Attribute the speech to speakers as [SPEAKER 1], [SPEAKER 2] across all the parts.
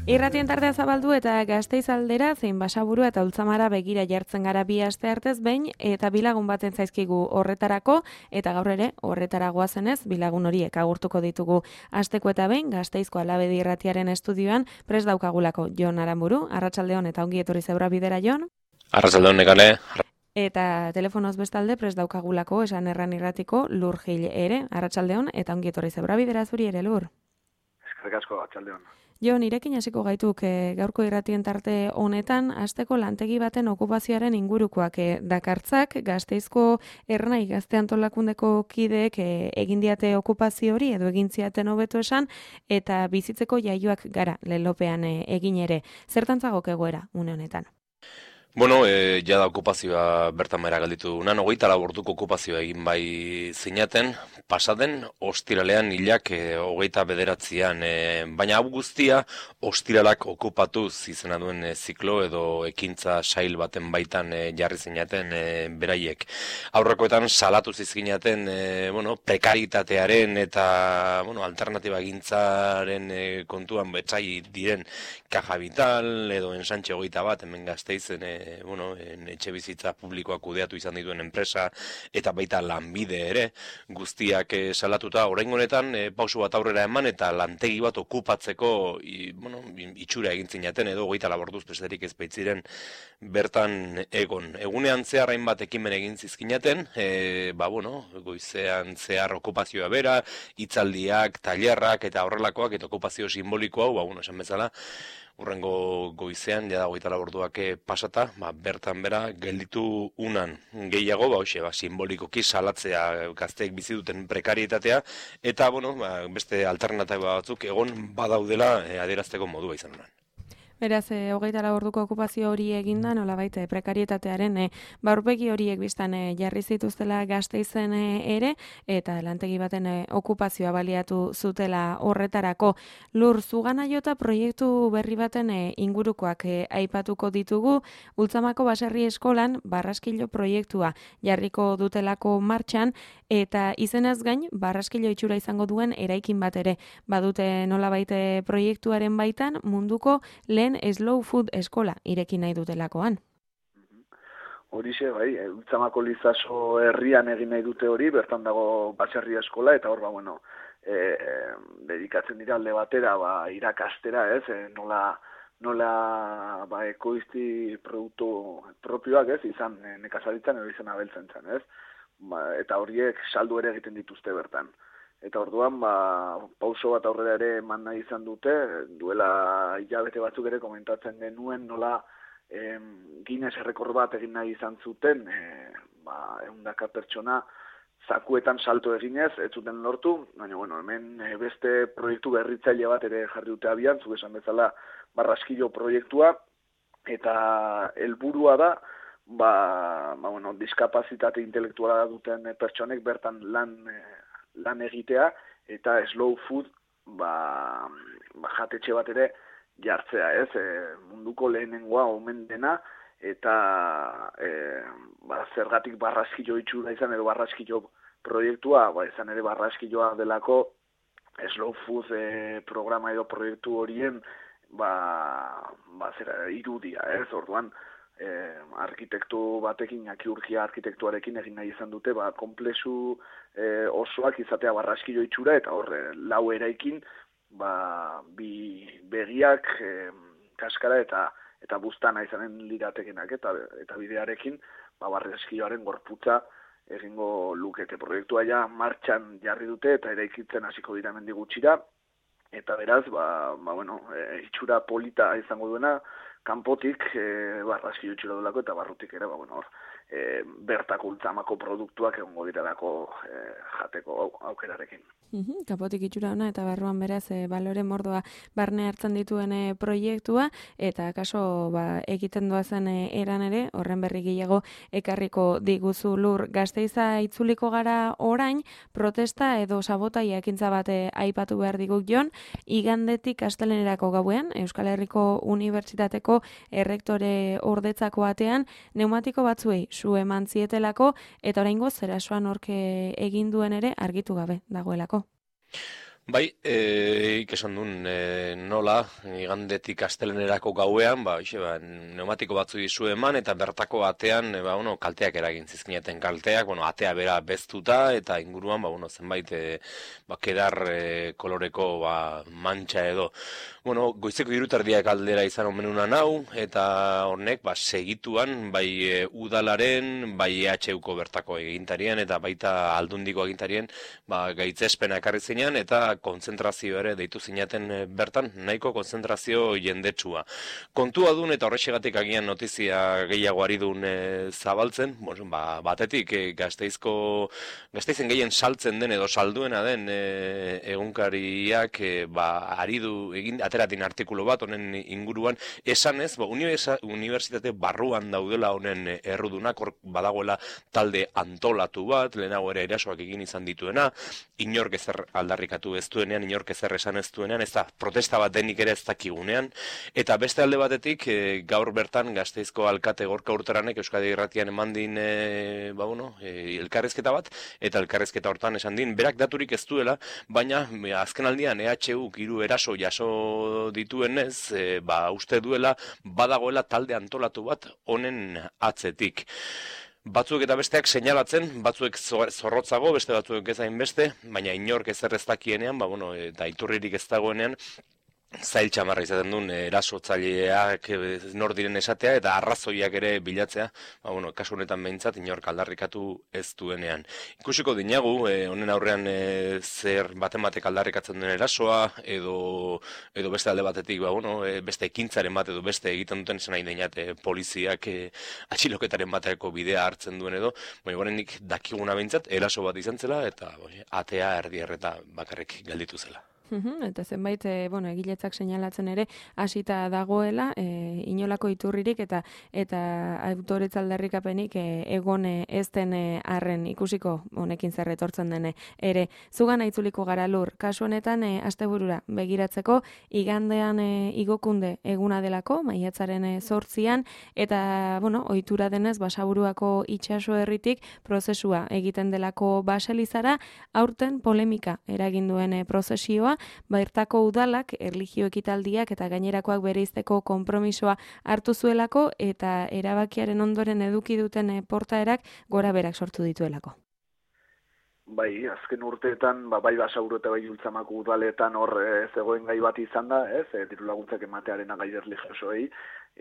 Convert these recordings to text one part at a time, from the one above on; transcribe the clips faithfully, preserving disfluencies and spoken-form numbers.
[SPEAKER 1] Irratien tartea zabaldu eta Gasteiz aldera zein Basaburu eta Ultzamara begira jartzen gara bi aste artez behin eta bilagun baten zaizkigu horretarako eta gaur ere horretara goazenez bilagun horiek agurtuko ditugu. Asteko eta behin Gasteizko Alabedi Irratiaren estudioan prest daukagulako Jon Aranburu, arratsaldeon eta ongi etorri Zebra Bidera Jon.
[SPEAKER 2] Arratsaldeon Nekane.
[SPEAKER 1] Eta telefonoz bestalde prest daukagulako esan erran irratiko Lur Gil ere, arratsaldeon eta ongi etorri Zebra Bidera zuri ere Lur.
[SPEAKER 3] Eskerrik asko arratsaldeon.
[SPEAKER 1] Jo, nirekin hasiko gaituk e, gaurko irratien tarte honetan, asteko lantegi baten okupazioaren ingurukoak e, dakartzak, Gasteizko Ernai Gazte Antolakundeko kideek e, egin diate okupazio hori edo egin ziaten hobeto esan, eta bizitzeko jaioak gara lelopean e, egin ere. Zertantzagok egoera une honetan?
[SPEAKER 2] Bueno, e, jada okupazioa bertan behera galditu dunan, hogeita lau orduko okupazioa egin bai zinaten, pasaden, ostiralean hilak e, hogeita bederatzian, e, baina hau guztia ostiralak okupatuz izena duen e, ziklo edo ekintza sail baten baitan e, jarri zinaten e, beraiek. Aurrekoetan salatu zizkinaten e, bueno, prekaritatearen eta bueno, alternatiba gintzaren e, kontuan betzai diren Caja Vital edo Ensanche hogeita bat, hemen Gasteizen e, bueno, etxe bizitza publikoak kudeatu izan dituen enpresa eta baita lanbide ere guztiak e, salatuta oraingo honetan e, pausu bat aurrera eman eta lantegi bat okupatzeko i, bueno, itxura egin zinaten edo hogeita laborduz besterik ez baitziren bertan egon. Egunean zehar hainbat ekimen egin zizkinaten, e, ba bueno, goizean zehar okupazioa bera, hitzaldiak, tailerrak eta horrelakoak eta okupazio simbolikoa, ba bueno, esan bezala urrengo goizean, jada hogeita lau orduak pasata, ba, bertan bera gelditu unan gehiago, ba, hoxe, ba, simbolikoki salatzea gazteek bizi duten prekarietatea, eta bueno, ba, beste alternatiba batzuk egon badaudela e, adierazteko modua izan unan.
[SPEAKER 1] Beraz, e, hogeita lau orduko okupazio hori eginda, nolabait prekarietatearen e, baurpegi horiek biztan e, jarri zituztela Gasteizen e, ere, eta lantegi baten e, okupazioa baliatu zutela horretarako. Lur, zugana jota proiektu berri baten e, ingurukoak e, aipatuko ditugu, Ultzamako Baserri Eskolan barraskilo proiektua jarriko dutelako martxan, eta izenaz gain, barraskilo itxura izango duen eraikin bat ere. Badute nolabait proiektuaren baitan munduko lehen slow food eskola irekin nahi dutelakoan.
[SPEAKER 3] Horixe, bai, Ultzamako Lizaso herrian egin nahi dute hori, bertan dago Baserri Eskola, eta hor, ba, bueno, e, dedikatzen dira alde batera, ba, irakastera, ez, e, nola, nola, ba, ekoizti produktu propioak, ez, izan e, nekazaritzan edo izan abeltzen zen, ez, ba, eta horiek saldu ere egiten dituzte bertan. Eta orduan, ba, pauso bat aurrera ere eman nahi izan dute, duela hilabete batzuk ere komentatzen genuen nola em, Guinness errekor bat egin nahi izan zuten, e, ba, ehundaka pertsona zakuetan salto eginez, ez zuten lortu, baina bueno, hemen e, beste proiektu berritzaile bat ere jarri dute abian, zuk esan bezala barraskilo proiektua, eta helburua da, ba, ba, bueno, diskapazitate intelektuala duten pertsonek bertan lan e, lan egitea eta slow food ba, ba jatetxe bat ere jartzea, ez? E, munduko lehenengoa omen dena eta e, ba, zergatik barraskilo itxura izan edo barraskilo proiektua, ba, izan ere barraskiloa delako slow food e, programa edo proiektu horien ba, ba zera, irudia, ez? Orduan Eh, arkitektu batekin, akiurgia arkitektuarekin egin nahi izan dute, ba, komplexu eh, osoak izatea barraskilo itxura, eta horre, lau eraikin, ba, bi begiak, eh, kaskara eta eta buztana izanen liratekenak, eta eta bidearekin, ba, barraskiloaren gorputza egingo lukete. Proiektua ja martxan jarri dute, eta eraikitzen hasiko dira hemendik gutxira, eta beraz, ba, ba, bueno, e, itxura polita izango duena, kanpotik e, barraskilo itxura duelako eta barrutik ere, ba, bueno, hor, e, bertako Ultzamako produktuak egongo direlako e, jateko aukerarekin.
[SPEAKER 1] Uhum, kapotik itxura ona eta barruan beraz e, balore mordoa barne hartzen dituen e, proiektua eta kaso ba, egiten doazen e, eran ere, horren berri gehiago ekarriko diguzu Lur. Gasteiza itzuliko gara orain, protesta edo sabotaia ekintza bate aipatu behar diguk Jon, igandetik astelenerako gauean, Euskal Herriko Unibertsitateko errektore ordetzako batean, neumatiko batzuei su eman zietelako eta oraingoz zerasoan horke egin duen ere argitu gabe dagoelako.
[SPEAKER 2] Bai, e, ikesan duen, e, nola, igandetik astelenerako gauean, ba, ixe, ba, pneumatiko batzu dizu eman, eta bertako atean, e, ba, bueno, kalteak eragin zizkineten kalteak, bueno, atea bera beztuta, eta inguruan, ba, bueno, zenbait, e, ba, kedar e, koloreko, ba, mantxa edo. Bueno, goizeko hiruterdiak aldera izan omenuna nau, eta honek, ba, segituan, bai e, udalaren, bai E H Uko bertako egintarien, eta baita aldundiko egintarien, ba, gaitzespena ekarri zinean, eta kontzentrazio ere deitu zinaten bertan, nahiko kontzentrazio jendetsua. Kontua dun eta horrexegatik agian notizia gehiago ari dun e, zabaltzen, bueno, ba, batetik e, gazteizko, gazteizen gehien saltzen den edo salduena den e, egunkariak e, ba, ari du egin ateratin artikulu bat honen inguruan, esanez, ba, unibertsitate barruan daudela honen errudunak, hor badagoela talde antolatu bat, lehenago ere erasoak egin izan dituena, inork ezer aldarrikatu ez duenean, inork ezer esan ez duenean, ez da protesta bat denik ere ez dakigunean, eta beste alde batetik, e, gaur bertan Gasteizko alkate Gorka Urtaranek Euskadi Irratian eman din, e, ba, bueno, e, elkarrezketa bat, eta elkarrezketa hortan esan din, berak daturik ez duela, baina e, azken aldian E H U hiru eraso jaso dituenez, e, ba, uste duela badagoela talde antolatu bat honen atzetik. Batzuk eta besteak seinalatzen, batzuek zorrotzago, beste batzuek ez hainbeste, baina inork ezer ez dakienean, ba, bueno, eta iturririk ez dagoenean, zail txamarra izaten duen erasotzaileak nor diren esatea eta arrazoiak ere bilatzea, ba, bueno, kasu honetan behintzat inork aldarrikatu ez duenean. Ikusiko dinagu, e, honen aurrean e, zer baten batek aldarrikatzen den erasoa, edo, edo beste alde batetik, ba, bueno, e, beste ekintzaren bat edo beste egiten duten esan nahi deinat e, poliziak e, atxiloketaren bateko bidea hartzen duen edo, baina gorenik dakiguna behintzat eraso bat izan zela eta bai, atea erdi erreta bakarrik gelditu zela.
[SPEAKER 1] Eta zenbait, e, bueno, egiletzak seinalatzen ere hasita dagoela, e, inolako iturririk eta eta autoretza aldarrikapenik e, egon ez den arren ikusiko honekin zer etortzen dene ere. Zugan aitzuliko gara Lur, kasu honetan e, asteburura begiratzeko igandean e, igokunde eguna delako, maiatzaren e, zortzian, eta, bueno, ohitura denez Basaburuako itsaso herritik prozesua egiten delako Baselizara, aurten polemika eragin duen e, prozesioa, bertako udalak, erlijio ekitaldiak eta gainerakoak bereizteko konpromisoa hartu zuelako eta erabakiaren ondoren eduki duten portaerak gora berak sortu dituelako.
[SPEAKER 3] Bai, azken urteetan, ba, bai Basauru eta bai Ultzamako udaletan hor e, zegoen gai bat izan da, ez, e, diru laguntzak ematearen gai erlijiosoei,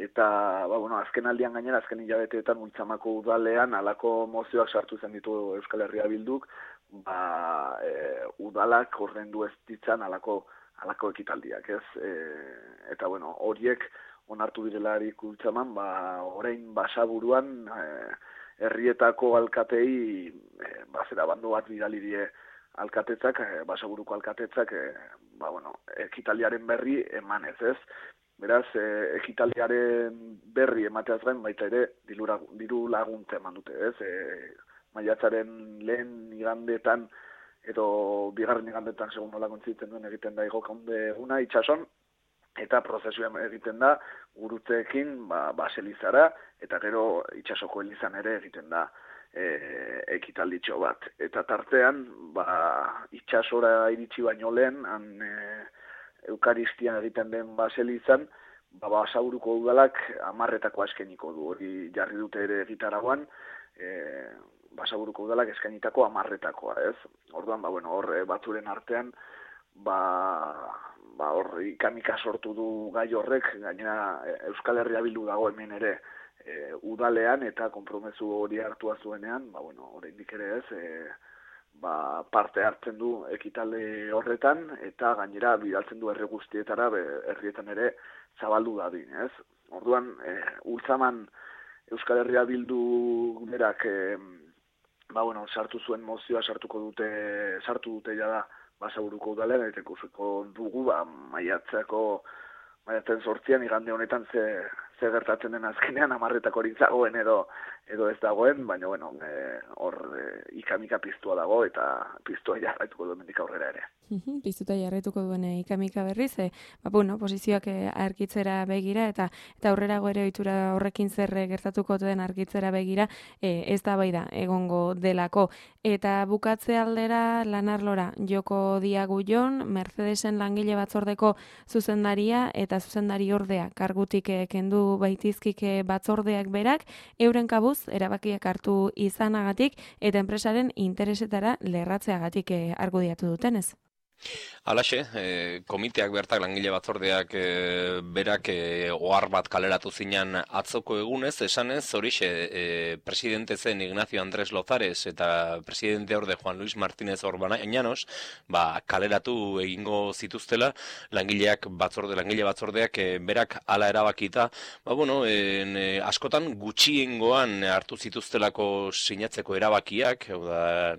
[SPEAKER 3] eta, ba, bueno, azken aldian gainera, azken hilabeteetan Ultzamako udalean halako mozioak sartu zen ditu Euskal Herria Bilduk, ba, e, udalak ordaindu ez ditzan halako halako ekitaldiak, ez? E, eta bueno, horiek onartu direlarik Ultzaman, ba, orain Basaburuan e, herrietako alkatei e, bazera bando bat bidali die alkatetzak, e, Basaburuko alkatetzak, e, ba, bueno, ekitaldiaren berri emanez, ez? Beraz, e, ekitaldiaren berri emateaz gain baita ere diru laguntza eman dute, ez? E, maiatzaren lehen igandetan edo bigarren igandetan segun nola kontzitzen duen egiten da igokunde eguna itsason, eta prozesua egiten da gurutzeekin ba, Baselizara, eta gero itsasoko elizan ere egiten da e, ekitalditxo bat. Eta tartean, ba, itsasora iritsi baino lehen, han e, Eukaristia egiten den Baselizan, ba, Basaburuko udalak hamarretako eskeniko du, hori jarri dute ere egitaragoan, e, Basaburuko udalak eskainitako hamarretakoa, ez? Orduan, ba, bueno, hor batzuren artean, ba, ba, hor ikamika sortu du gai horrek, gainera Euskal Herria Bildu dago hemen ere e, udalean eta konpromezu hori hartua zuenean, ba, bueno, oraindik ere ez, e, ba, parte hartzen du ekitaldi horretan eta gainera bidaltzen du herri guztietara, herrietan ere zabaldu dadin, ez? Orduan, e, Ultzaman Euskal Herria Bildu berak e, ba, bueno, sartu zuen mozioa sartuko dute, sartu dute jada Basaburuko udalean, eta ikusiko dugu, ba, maiatzeko, maiatzen sortzian, igande honetan ze, ze gertatzen den azkenean amarretak hori zagoen edo edo ez dagoen, baina bueno, e, hor e, ikamika piztua dago eta piztua jarraituko du mendik aurrera ere.
[SPEAKER 1] Piztuta jarraituko duen e, ikamika berriz, e, ba, bueno, posizioak e, argitzera begira eta eta aurrerago ere ohitura horrekin zer gertatuko den argitzera begira, e, ez da bai da egongo delako. Eta bukatze aldera lanarlora joko diagu jon, Mercedesen langile batzordeko zuzendaria eta zuzendari ordea kargutik e, kendu baitizkike batzordeak berak, euren kabuz erabakiak hartu izanagatik eta enpresaren interesetara lerratzeagatik e, argudiatu dutenez.
[SPEAKER 2] Halaxe, e, komiteak bertak langile batzordeak e, berak e, ohar bat kaleratu zinan atzoko egunez, esanez, horixe e, presidente zen Ignacio Andrés Lozares eta presidente orde Juan Luis Martínez Orbanañanos, ba, kaleratu egingo zituztela langileak batzorde, langile batzordeak e, berak hala erabakita, ba, bueno, en, e, askotan gutxiengoan hartu zituztelako sinatzeko erabakiak, hau da,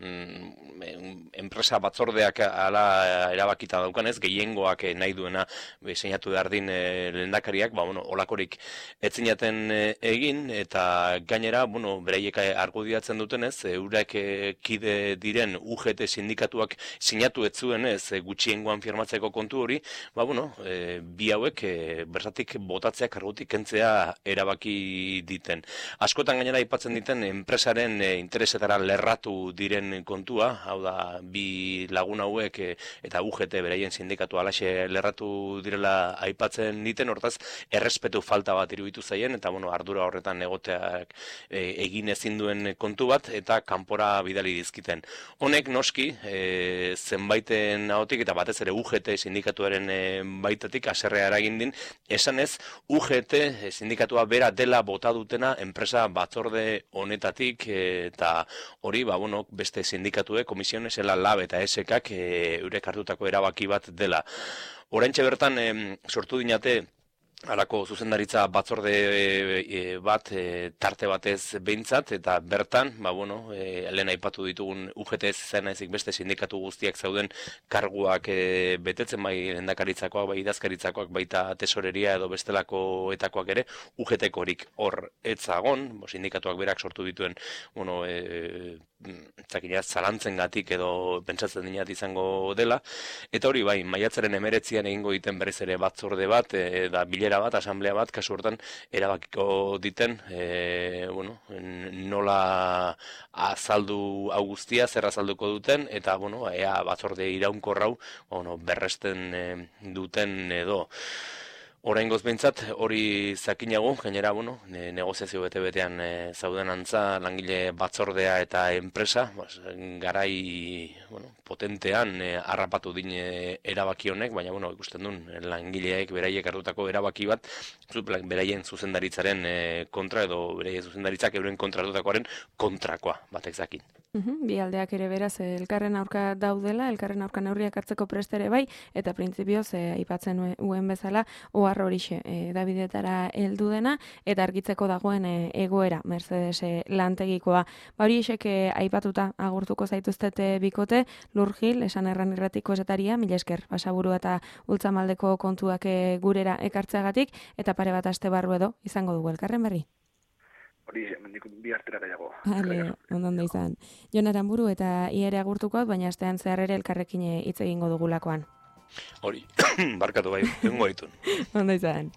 [SPEAKER 2] enpresa batzordeak hala erabakita daukanez, gehiengoak nahi duena seinatu behar din e, lehendakariak, ba, bueno, olakorik etzinaten e, egin, eta gainera, bueno, beraiek argudiatzen dutenez, eurek e, kide diren U G T sindikatuak sinatu etzuenez e, gutxiengoan firmatzeko kontu hori, ba, bueno, e, bi hauek e, bertatik botatzea kargutik kentzea erabaki diten. Askotan gainera aipatzen diten enpresaren e, interesetara lerratu diren kontua, hau da, bi lagun hauek e, eta U G T beraien sindikatu alaxe lerratu direla aipatzen diten, hortaz errespetu falta bat iruditu zaien, eta bueno, ardura horretan egoteak e, egin ezin duen kontu bat, eta kanpora bidali dizkiten. Honek noski, e, zenbaiten ahotik, eta batez ere U G T sindikatuaren e, baitatik aserrea eragin din, esanez U G T sindikatua bera dela bota dutena enpresa batzorde honetatik, e, eta hori, ba, bueno, beste sindikatue, komisiones, ela lab eta esekak e, eurek hartutako erabaki bat dela. Oraintxe bertan e, sortu dinate halako zuzendaritza batzorde e, bat e, tarte batez behintzat, eta bertan, ba, bueno, e, lehen aipatu ditugun U G T ez izan ezik beste sindikatu guztiak zauden karguak e, betetzen, bai lehendakaritzakoak, bai idazkaritzakoak, baita tesoreria edo bestelakoetakoak ere, U G T-korik hor etzagon, bo, sindikatuak berak sortu dituen, bueno, e, zakinaz, zalantzengatik edo pentsatzen dinat izango dela, eta hori bai, maiatzaren emeretzian egingo diten berriz ere batzorde bat, e, da bilera bat, asamblea bat, kasu hortan erabakiko diten, e, bueno, nola azaldu hau guztia, zer azalduko duten, eta bueno, ea batzorde iraunkorrau, bueno, berresten e, duten edo. Oraingoz behintzat hori zakinago, gainera, bueno, ne, negoziazio bete-betean e, zauden antza langile batzordea eta enpresa, bas, garai bueno, potentean e, harrapatu din e, erabaki honek, baina bueno, ikusten duen langileek beraiek hartutako erabaki bat, beraien zuzendaritzaren e, kontra edo beraien zuzendaritzak euren kontra hartutakoaren kontrakoa batek zakin.
[SPEAKER 1] Bi aldeak ere beraz elkarren aurka daudela, elkarren aurka neurriak hartzeko prest ere bai, eta printzipioz e, aipatzen uen bezala, ohar horixe e, Davidetara heldu dena, eta argitzeko dagoen e, egoera Mercedes e, lantegikoa. Ba hori esek e, aipatuta agurtuko zaituztete bikote, Lurgil, esan erran irratiko esataria, mila esker, basaburu eta ultzamaldeko kontuak e, gurera ekartzeagatik, eta pare bat aste barru edo izango dugu elkarren berri.
[SPEAKER 3] Hori, mendik bi artera gaiago.
[SPEAKER 1] Hale, ondo izan. Jon Aranburu eta iere agurtukoak, baina astean zehar ere elkarrekin hitz egingo dugulakoan.
[SPEAKER 2] Hori, barkatu bai, egingo ditun.
[SPEAKER 1] Ondo izan.